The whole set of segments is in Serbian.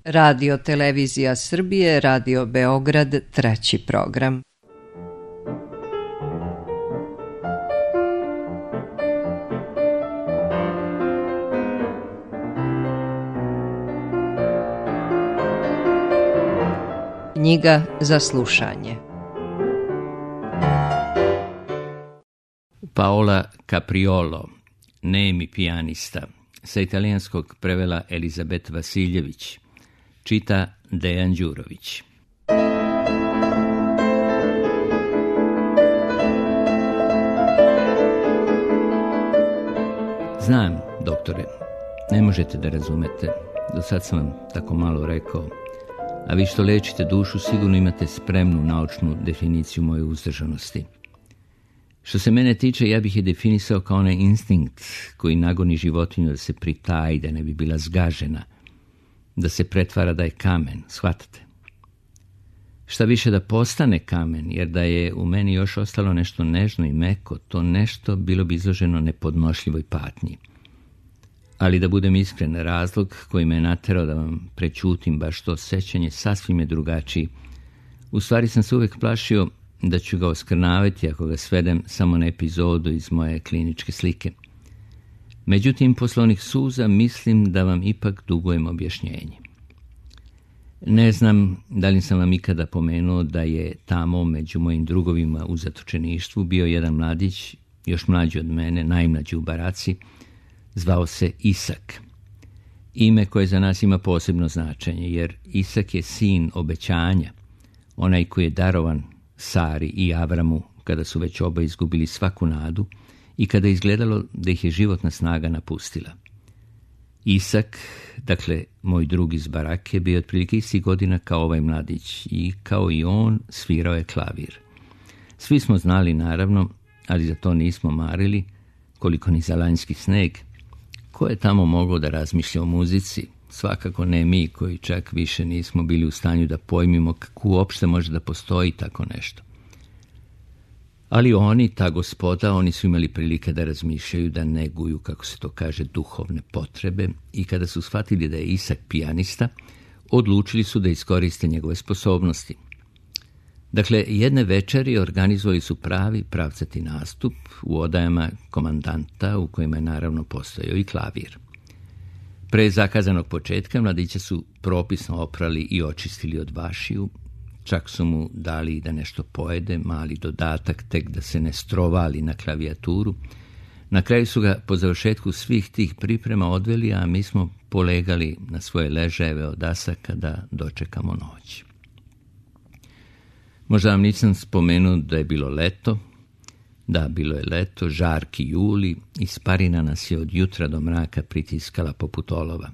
Radio Televizija Srbije, Radio Beograd, 3. program. Knjiga za slušanje. Paola Capriolo, nemi pijanista, sa italijanskog prevela Elizabet Vasiljević, čita Dejan Đurović. Znam, doktore, ne možete da razumete, do sad sam vam tako malo rekao, a vi što lečite dušu sigurno imate spremnu naučnu definiciju moje uzdržanosti. Što se mene tiče, ja bih je definisao kao onaj instinkt koji nagoni životinju da se pritaji, da ne bi bila zgažena, da se pretvara da je kamen, shvatate? Šta više da postane kamen, jer da je u meni još ostalo nešto nežno i meko, to nešto bilo bi izloženo nepodnošljivoj patnji. Ali da budem iskren, razlog koji me je naterao da vam prećutim baš to sećanje sasvim je drugačiji. U stvari sam se uvijek plašio da ću ga oskrnaviti ako ga svedem samo na epizodu iz moje kliničke slike. Međutim, posle onih suza mislim da vam ipak dugujem objašnjenje. Ne znam da li sam vam ikada pomenuo da je tamo među mojim drugovima u zatočeništvu bio jedan mladić, još mlađi od mene, najmlađi u baraci, zvao se Isak. Ime koje za nas ima posebno značenje, jer Isak je sin obećanja, onaj koji je darovan Sari i Avramu kada su već oba izgubili svaku nadu i kada je izgledalo da ih je životna snaga napustila. Isak, dakle moj drug iz barake, bio otprilike istih godina kao ovaj mladić i kao i on svirao je klavir. Svi smo znali naravno, ali za to nismo marili, koliko ni za lanjski sneg. Ko je tamo mogao da razmišlja o muzici? Svakako ne mi koji čak više nismo bili u stanju da pojmimo kako uopšte može da postoji tako nešto. Ali oni, ta gospoda, oni su imali prilike da razmišljaju, da neguju, kako se to kaže, duhovne potrebe i kada su shvatili da je Isak pijanista, odlučili su da iskoriste njegove sposobnosti. Dakle, jedne večeri organizovali su pravi pravcati nastup u odajama komandanta u kojima je naravno postojao i klavir. Pre zakazanog početka mladića su propisno oprali i očistili od vašiju, čak su mu dali da nešto pojede, mali dodatak tek da se ne strovali na klavijaturu. Na kraju su ga po završetku svih tih priprema odveli, a mi smo polegali na svoje ležajeve od dasaka da dočekamo noć. Možda vam nisam spomenuo da je bilo leto. Da, bilo je leto, žarki juli, i sparina nas je od jutra do mraka pritiskala poput olova.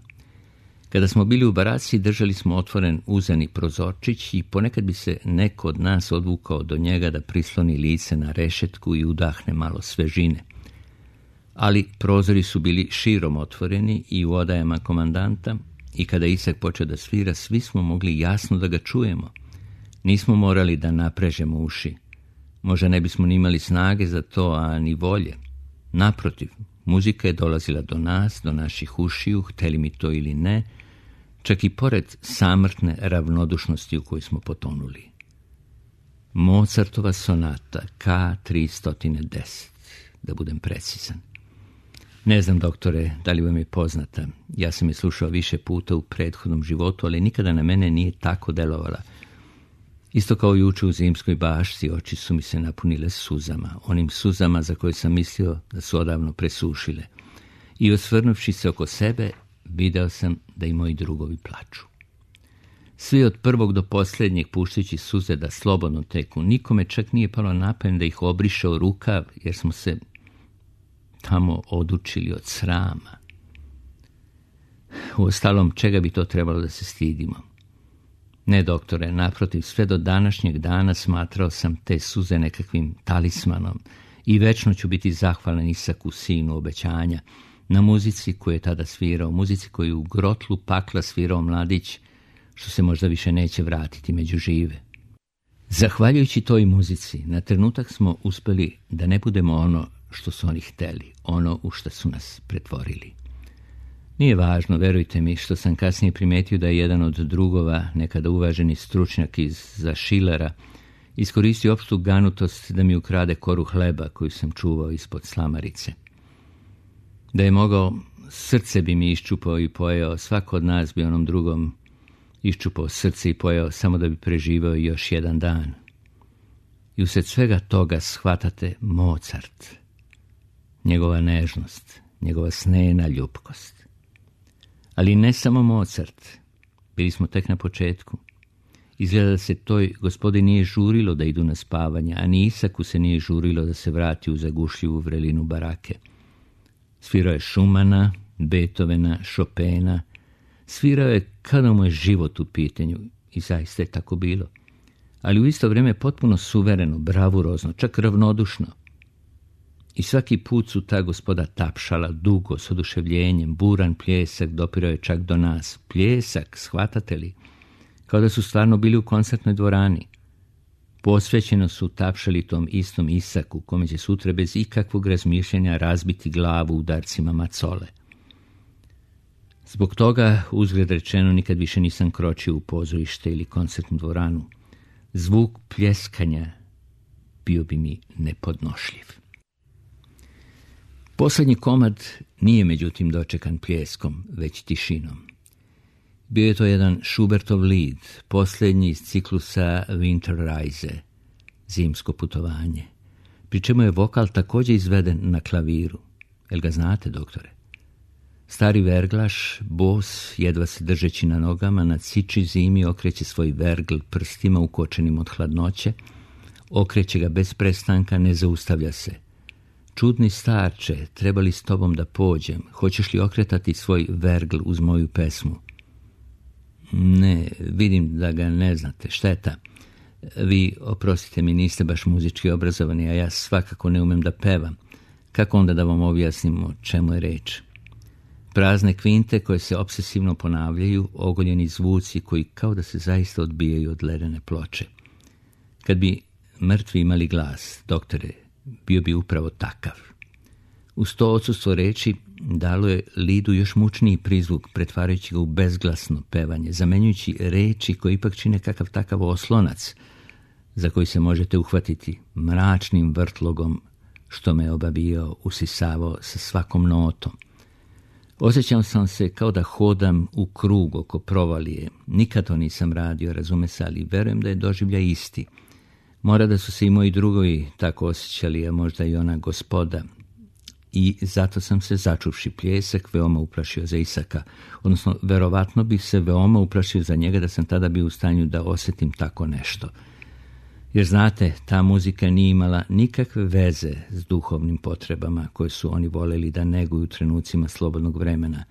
Kada smo bili u baraci, držali smo otvoren uzani prozorčić i ponekad bi se neko od nas odvukao do njega da prisloni lice na rešetku i udahne malo svežine. Ali prozori su bili širom otvoreni i u odajama komandanta i kada Isak počeo da svira, svi smo mogli jasno da ga čujemo. Nismo morali da naprežemo uši. Možda ne bismo ni imali snage za to, a ni volje. Naprotiv, muzika je dolazila do nas, do naših ušiju, hteli mi to ili ne, čak i pored samrtne ravnodušnosti u kojoj smo potonuli. Mozartova sonata K310, da budem precizan. Ne znam, doktore, da li vam je poznata. Ja sam je slušao više puta u prethodnom životu, ali nikada na mene nije tako delovala. Isto kao juče u zimskoj bašci, oči su mi se napunile suzama, onim suzama za koje sam mislio da su odavno presušile. I osvrnuvši se oko sebe, video sam da i moji drugovi plaču. Svi od prvog do posljednjeg puštajući suze da slobodno teku, nikome čak nije palo na pamet da ih obriše u rukav, jer smo se tamo odučili od srama. Uostalom, čega bi to trebalo da se stidimo? Ne, doktore, naprotiv, sve do današnjeg dana smatrao sam te suze nekakvim talismanom i večno ću biti zahvalan Isaku, sinu obećanja, na muzici koju je tada svirao, muzici koju u grotlu pakla svirao mladić, što se možda više neće vratiti među žive. Zahvaljujući toj muzici, na trenutak smo uspeli da ne budemo ono što su oni hteli, ono u što su nas pretvorili. Nije važno, verujte mi, što sam kasnije primetio da je jedan od drugova, nekada uvaženi stručnjak za Schillera, iskoristio opštu ganutost da mi ukrade koru hleba koju sam čuvao ispod slamarice. Da je mogao, srce bi mi iščupao i pojeo, svako od nas bi onom drugom iščupao srce i pojeo samo da bi preživao još jedan dan. I usred svega toga shvatate Mozart, njegova nežnost, njegova snena ljubkost. Ali ne samo Mozart, bili smo tek na početku. Izgleda da se toj gospodi nije žurilo da idu na spavanje, a ni Isaku se nije žurilo da se vrati u zagušljivu vrelinu barake. Svirao je Schumana, Beethovena, Chopina, svirao je kada mu je život u pitanju i zaista je tako bilo. Ali u isto vrijeme potpuno suvereno, bravurozno, čak ravnodušno. I svaki put su ta gospoda tapšala dugo, s oduševljenjem, buran pljesak dopirao je čak do nas. Pljesak, shvatate li? Kao da su stvarno bili u koncertnoj dvorani. Posvećeno su tapšali tom istom Isaku, kome će sutra bez ikakvog razmišljanja razbiti glavu udarcima macole. Zbog toga, uzgled rečeno, nikad više nisam kročio u pozorište ili koncertnu dvoranu. Zvuk pljeskanja bio bi mi nepodnošljiv. Posljednji komad nije međutim dočekan pljeskom, već tišinom. Bio je to jedan Schubertov lied, posljednji iz ciklusa Winterreise, zimsko putovanje, pri čemu je vokal također izveden na klaviru. Jel ga znate, doktore? Stari verglaš, bos, jedva se držeći na nogama, na ciči zimi okreće svoj vergl prstima ukočenim od hladnoće, okreće ga bez prestanka, ne zaustavlja se. Čudni starče, treba li s tobom da pođem? Hoćeš li okretati svoj vergl uz moju pesmu? Ne, vidim da ga ne znate, šteta. Vi, oprostite mi, niste baš muzički obrazovani, a ja svakako ne umem da pevam. Kako onda da vam objasnim o čemu je reč? Prazne kvinte koje se obsesivno ponavljaju, ogoljeni zvuci koji kao da se zaista odbijaju od ledene ploče. Kad bi mrtvi imali glas, doktore, bio bi upravo takav. Uz to odsustvo reči dalo je lidu još mučniji prizvuk, pretvarajući ga u bezglasno pevanje, zamenjujući reči koje ipak čine kakav takav oslonac, za koji se možete uhvatiti mračnim vrtlogom što me obabijao, usisavao sa svakom notom. Osjećam sam se kao da hodam u krug oko provalije. Nikad to nisam radio, razume se, ali verujem da je doživljaj isti. Mora da su se i moji drugovi tako osjećali, a možda i ona gospoda. I zato sam se, začuvši pljesak, veoma uplašio za Isaka. Odnosno, verovatno bih se veoma uplašio za njega da sam tada bio u stanju da osjetim tako nešto. Jer znate, ta muzika nije imala nikakve veze s duhovnim potrebama koje su oni voljeli da neguju u trenucima slobodnog vremena.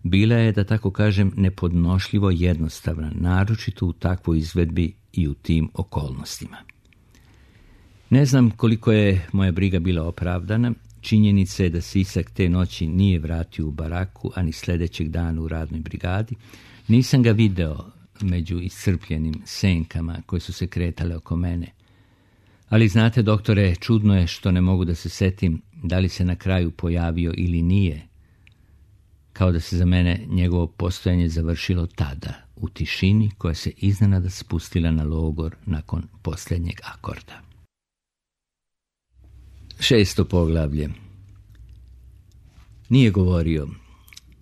Bila je, da tako kažem, nepodnošljivo jednostavna, naročito u takvoj izvedbi i u tim okolnostima. Ne znam koliko je moja briga bila opravdana. Činjenica je da se Isak te noći nije vratio u baraku, ani sljedećeg dana u radnoj brigadi. Nisam ga video među iscrpljenim senkama koje su se kretale oko mene. Ali znate, doktore, čudno je što ne mogu da se setim da li se na kraju pojavio ili nije. Kao da se za mene njegovo postojanje završilo tada, u tišini koja se iznenada spustila na logor nakon posljednjeg akorda. 6. poglavlje. Nije govorio,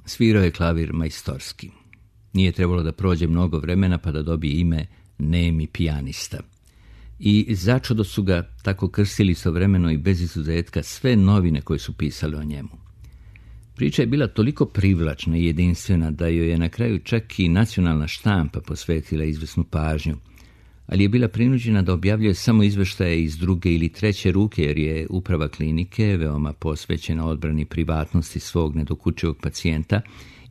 svirao je klavir majstorski. Nije trebalo da prođe mnogo vremena pa da dobije ime nemi pijanista. I začudo su ga tako krstili istovremeno i bez izuzetka sve novine koje su pisale o njemu. Priča je bila toliko privlačna i jedinstvena da joj je na kraju čak i nacionalna štampa posvetila izvesnu pažnju, ali je bila prinuđena da objavljuje samo izveštaje iz druge ili treće ruke, jer je uprava klinike, veoma posvećena odbrani privatnosti svog nedokučivog pacijenta,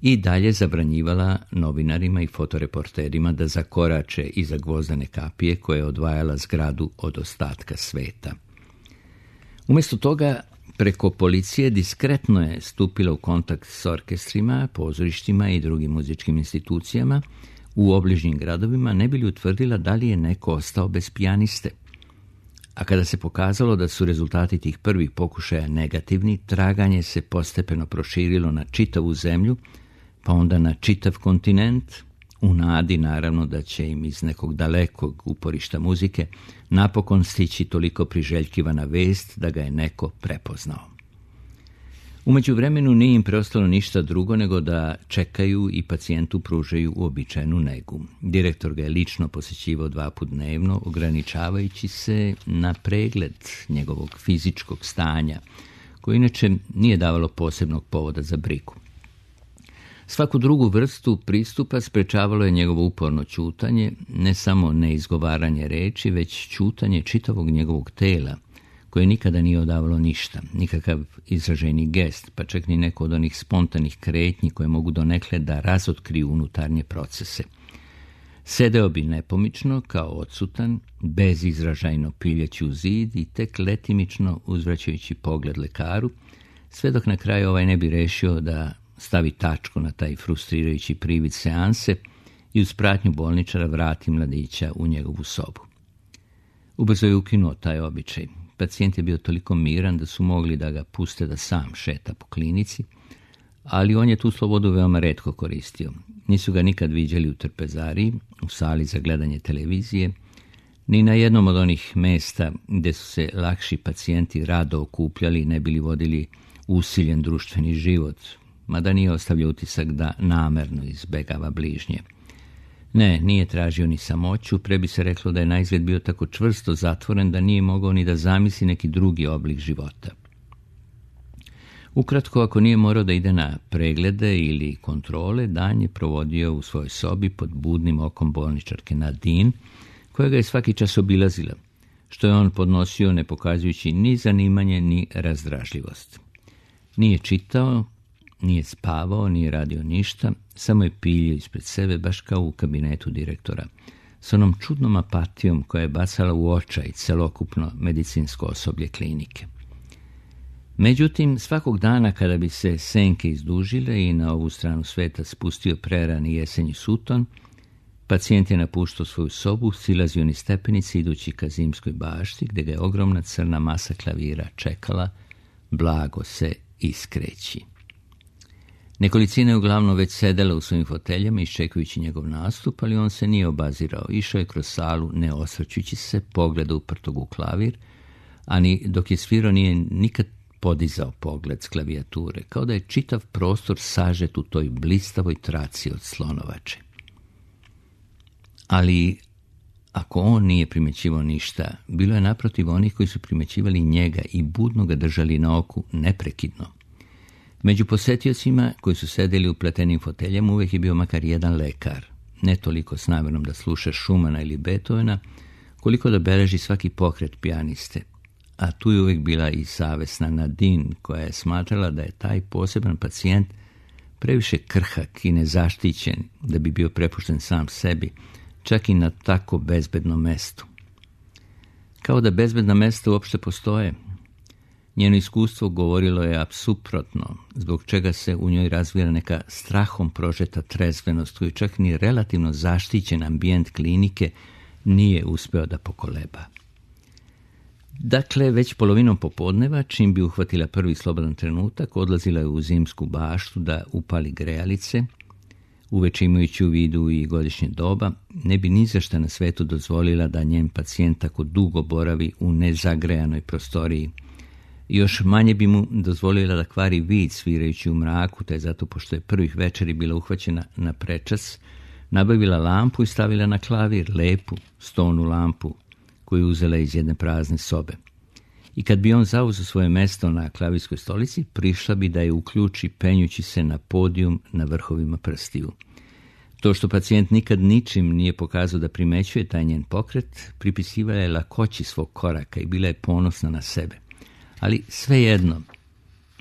i dalje zabranjivala novinarima i fotoreporterima da zakorače iza gvozdene kapije koja je odvajala zgradu od ostatka sveta. Umjesto toga, preko policije diskretno je stupila u kontakt s orkestrima, pozorištima i drugim muzičkim institucijama u obližnjim gradovima, ne bi li utvrdila da li je neko ostao bez pijaniste. A kada se pokazalo da su rezultati tih prvih pokušaja negativni, traganje se postepeno proširilo na čitavu zemlju, pa onda na čitav kontinent, u nadi naravno da će im iz nekog dalekog uporišta muzike napokon stići toliko priželjkivana vest da ga je neko prepoznao. U međuvremenu nije im preostalo ništa drugo nego da čekaju i pacijentu pružaju uobičajenu negu. Direktor ga je lično posjećivao 2 puta dnevno, ograničavajući se na pregled njegovog fizičkog stanja, koje inače nije davalo posebnog povoda za brigu. Svaku drugu vrstu pristupa sprečavalo je njegovo uporno ćutanje, ne samo neizgovaranje reči, već ćutanje čitavog njegovog tela, koje nikada nije odavalo ništa, nikakav izraženi gest, pa čak ni neko od onih spontanih kretnji koje mogu donekle da razotkriju unutarnje procese. Sedeo bi nepomično, kao odsutan, bezizražajno piljeći u zid i tek letimično uzvraćajući pogled lekaru, sve dok na kraju ovaj ne bi rešio da stavi tačku na taj frustrirajući privid seanse i uz pratnju bolničara vrati mladića u njegovu sobu. Ubrzo je ukinuo taj običaj. Pacijent je bio toliko miran da su mogli da ga puste da sam šeta po klinici, ali on je tu slobodu veoma retko koristio. Nisu ga nikad viđali u trpezariji, u sali za gledanje televizije, ni na jednom od onih mesta gdje su se lakši pacijenti rado okupljali i ne bili vodili usiljen društveni život, mada nije ostavljao utisak da namerno izbegava bližnje. Ne, nije tražio ni samoću, pre bi se reklo da je naizgled bio tako čvrsto zatvoren da nije mogao ni da zamisli neki drugi oblik života. Ukratko, ako nije morao da ide na preglede ili kontrole, dan je provodio u svojoj sobi pod budnim okom bolničarke Nadine, koja ga je svaki čas obilazila, što je on podnosio ne pokazujući ni zanimanje ni razdražljivost. Nije čitao, nije spavao, nije radio ništa, samo je piljio ispred sebe, baš kao u kabinetu direktora, s onom čudnom apatijom koja je bacala u očaj celokupno medicinsko osoblje klinike. Međutim, svakog dana kada bi se senke izdužile i na ovu stranu sveta spustio prerani jesenji suton, pacijent je napuštao svoju sobu, silazio niz stepenice idući ka zimskoj bašti, gdje ga je ogromna crna masa klavira čekala, blago se iskreći. Nekolicina je uglavnom već sedela u svojim foteljama iščekujući njegov nastup, ali on se nije obazirao. Išao je kroz salu ne osvrćući se, pogleda uprtog u klavir, ani dok je svirao nije nikad podizao pogled s klavijature, kao da je čitav prostor sažet u toj blistavoj traci od slonovače. Ali ako on nije primjećivao ništa, bilo je naprotiv onih koji su primjećivali njega i budno ga držali na oku neprekidno. Među posetiocima koji su sedeli u pletenim foteljama uvijek je bio makar jedan lekar, ne toliko s namjerom da sluša Schumana ili Beethovena, koliko da beleži svaki pokret pijaniste. A tu je uvijek bila i savesna Nadine, koja je smatrala da je taj poseban pacijent previše krhak i nezaštićen da bi bio prepušten sam sebi, čak i na tako bezbednom mestu. Kao da bezbedna mesta uopšte postoje. Njeno iskustvo govorilo je suprotno, zbog čega se u njoj razvija neka strahom prožeta trezvenost koju čak ni relativno zaštićen ambijent klinike nije uspeo da pokoleba. Dakle, već polovinom popodneva, čim bi uhvatila prvi slobodan trenutak, odlazila je u zimsku baštu da upali grejalice, uveče imajući u vidu i godišnje doba, ne bi ni za šta na svetu dozvolila da njen pacijent tako dugo boravi u nezagrejanoj prostoriji. Još manje bi mu dozvolila da kvari vid svirajući u mraku, te zato, pošto je prvih večeri bila uhvaćena na prečas, nabavila lampu i stavila na klavir lepu stonu lampu koju uzela iz jedne prazne sobe. I kad bi on zauzeo svoje mesto na klavirskoj stolici, prišla bi da je uključi penjući se na podijum na vrhovima prstiju. To što pacijent nikad ničim nije pokazao da primećuje taj njen pokret, pripisivala je lakoći svog koraka i bila je ponosna na sebe. Ali svejedno,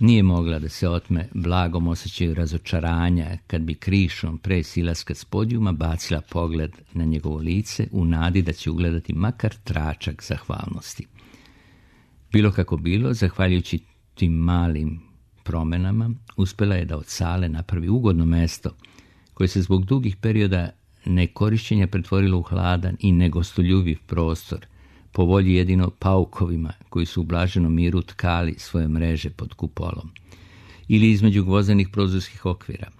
nije mogla da se otme blagom osjećaju razočaranja kad bi krišom pre silaska s podijuma bacila pogled na njegovo lice u nadi da će ugledati makar tračak zahvalnosti. Bilo kako bilo, zahvaljujući tim malim promenama, uspjela je da od sale napravi ugodno mesto koje se zbog dugih perioda nekorišćenja pretvorilo u hladan i negostoljubiv prostor, po volji jedino paukovima koji su u blaženom miru tkali svoje mreže pod kupolom ili između gvozdenih prozorskih okvira.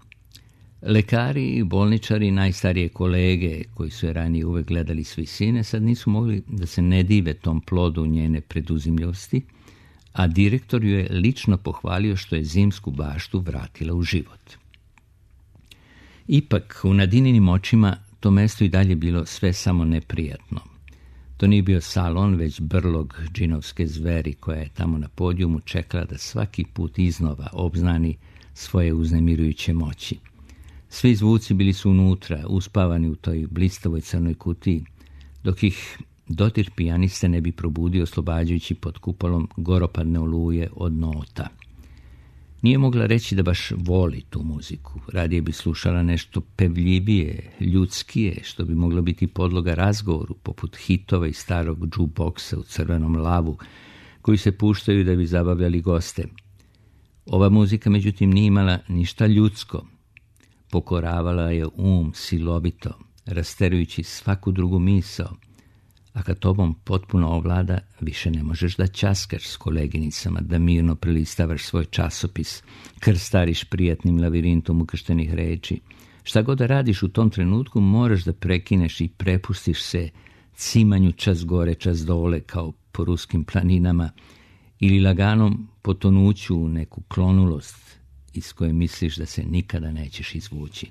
Lekari i bolničari, najstarije kolege koji su je ranije uvek gledali s visine, sad nisu mogli da se ne dive tom plodu njene preduzimljivosti, a direktor ju je lično pohvalio što je zimsku baštu vratila u život. Ipak, u Nadininim očima to mesto i dalje bilo sve samo neprijatno. To nije bio salon, već brlog džinovske zveri koja je tamo na podijumu čekala da svaki put iznova obznani svoje uznemirujuće moći. Svi zvuci bili su unutra, uspavani u toj blistavoj crnoj kutiji, dok ih dodir pijaniste ne bi probudio oslobađajući pod kupolom goropadne oluje od nota. Nije mogla reći da baš voli tu muziku, radije bi slušala nešto pevljivije, ljudskije, što bi moglo biti podloga razgovoru, poput hitova iz starog jukeboxa u crvenom lavu, koji se puštaju da bi zabavljali goste. Ova muzika, međutim, nije imala ništa ljudsko. Pokoravala je silovito, rasterujući svaku drugu misao, a kad tobom potpuno ovlada, više ne možeš da ćaskaš s koleginicama, da mirno prelistavaš svoj časopis, krstariš prijatnim lavirintom ukrštenih reči. Šta god da radiš u tom trenutku, moraš da prekineš i prepustiš se cimanju čas gore, čas dole, kao po ruskim planinama, ili laganom potonuću u neku klonulost iz koje misliš da se nikada nećeš izvući.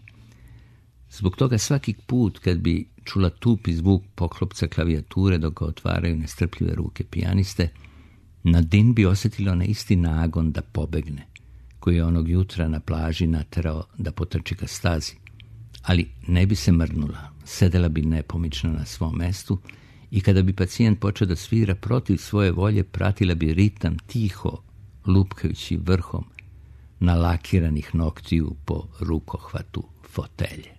Zbog toga svaki put kad bi čula tupi zvuk poklopca klavijature dok ga otvaraju nestrpljive ruke pijaniste, Nadine bi osjetila na isti nagon da pobegne, koji je onog jutra na plaži naterao da potrči ka stazi. Ali ne bi se mrnula, sedela bi nepomično na svom mestu i kada bi pacijent počeo da svira protiv svoje volje, pratila bi ritam tiho, lupkajući vrhom nalakiranih noktiju po rukohvatu fotelje.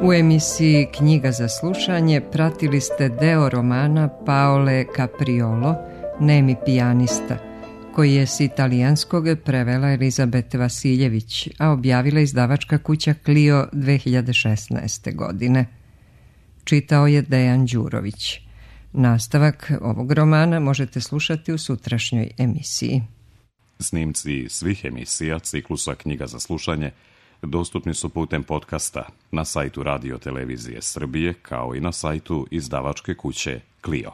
U emisiji Knjiga za slušanje pratili ste deo romana Paole Capriolo, Nemi pijanista, koji je s italijanskog prevela Elizabete Vasiljević, a objavila izdavačka kuća Clio 2016. godine. Čitao je Dejan Đurović. Nastavak ovog romana možete slušati u sutrašnjoj emisiji. Snimci svih emisija ciklusa Knjiga za slušanje dostupni su putem podcasta na sajtu Radio Televizije Srbije, kao i na sajtu izdavačke kuće Clio.